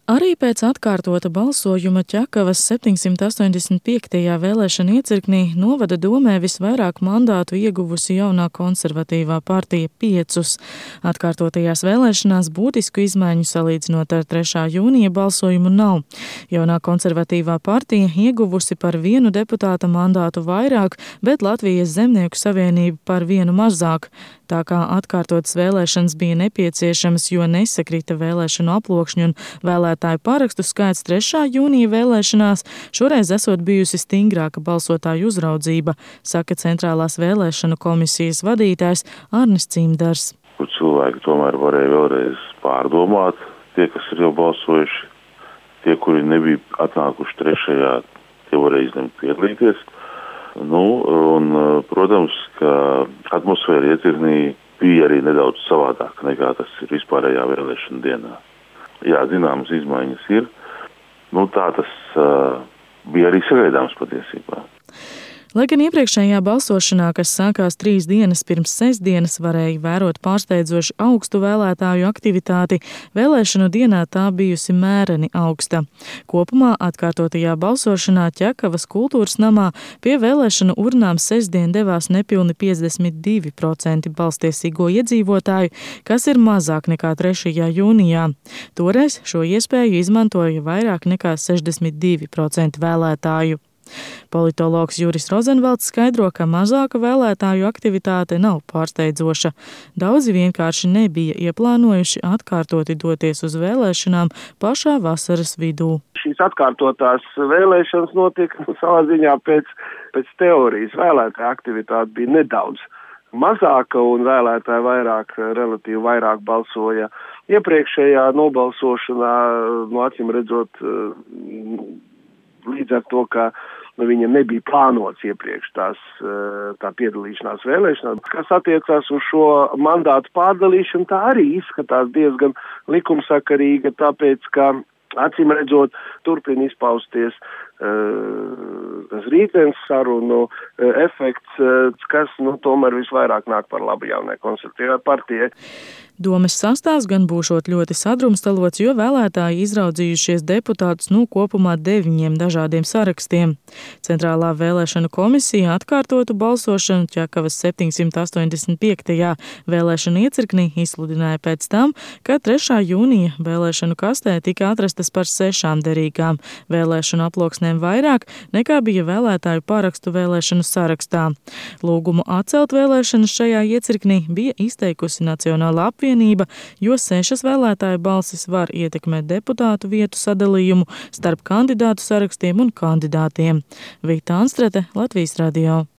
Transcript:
Arī pēc atkārtota balsojuma Ķekavas 785. vēlēšana iecirknī novada domē visvairāk mandātu ieguvusi jaunā konservatīvā partija 5. Atkārtotajās vēlēšanās būtisku izmaiņu salīdzinot ar 3. jūnija balsojumu nav. Jaunā konservatīvā partija ieguvusi par 1 deputāta mandātu vairāk, bet Latvijas Zemnieku savienība par 1 mazāk. Tā kā atkārtotas vēlēšanas bija nepieciešamas, jo nesakrita vēlēšanu aploksņu un vēlētāju parakstu skaits 3. jūnija vēlēšanās, šoreiz esot bijusi stingrāka balsotāju uzraudzība, saka Centrālās vēlēšanu komisijas vadītājs Arnis Cimdars. Kur cilvēki tomēr varēja vēlreiz pārdomāt, tie, kas ir jau balsojuši, tie, kuri nebija atnākuši 3. tie varēja izlemt piedalīties. Protams, ka atmosfēra iecirknī bija arī nedaudz savādāka nekā tas ir vispārējā vēlēšana dienā. Jā, zināmas izmaiņas ir. Tā tas bija arī sagaidāms patiesībā. Lai gan iepriekšējā balsošanā, kas sākās 3 dienas pirms sestdienas, varēja vērot pārsteidzoši augstu vēlētāju aktivitāti, vēlēšanu dienā tā bijusi mēreni augsta. Kopumā atkārtotajā balsošanā Ķekavas kultūras namā pie vēlēšanu urnām sestdien devās nepilni 52% balstiesīgo iedzīvotāju, kas ir mazāk nekā 3. jūnijā. Toreiz šo iespēju izmantoja vairāk nekā 62% vēlētāju. Politologs Juris Rozenvalds skaidro, ka mazāka vēlētāju aktivitāte nav pārsteidzoša. Daudzi vienkārši nebija ieplānojuši atkārtoti doties uz vēlēšanām pašā vasaras vidū. Šīs atkārtotās vēlēšanas notika savā ziņā pēc teorijas. Vēlētāja aktivitāte bija nedaudz mazāka un vēlētāji relatīvi vairāk balsoja iepriekšējā nobalsošanā, acīm redzot, līdz ar to, ka viņam nebija plānots iepriekš tā piedalīšanās vēlēšanās. Kas attiecās uz šo mandātu pārdalīšanu, tā arī izskatās diezgan likumsakarīga, tāpēc, ka acīm redzot turpina izpausties tas rītdienas sarunu efekts, kas tomēr visvairāk nāk par labu jaunai konservatīvai partijai. Domes sastāvs gan būšot ļoti sadrumstalots, jo vēlētāji izraudzījušies deputātus kopumā 9 dažādiem sarakstiem. Centrālā vēlēšanu komisija atkārtotu balsošanu Ķekavas 785. vēlēšanu iecirknī izsludināja pēc tam, ka 3. jūnija vēlēšanu kastē tika atrastas par 6 derīgām vēlēšanu aploksnēm vairāk, nekā bija vēlētāju parakstu vēlēšanu sarakstā. Lūgumu atcelt vēlēšanas šajā iecirknī bija izteikusi Nacionālā apvienība, jo 6 vēlētāju balsis var ietekmēt deputātu vietu sadalījumu starp kandidātu sarakstiem un kandidātiem. Vita Anstrete, Latvijas radio.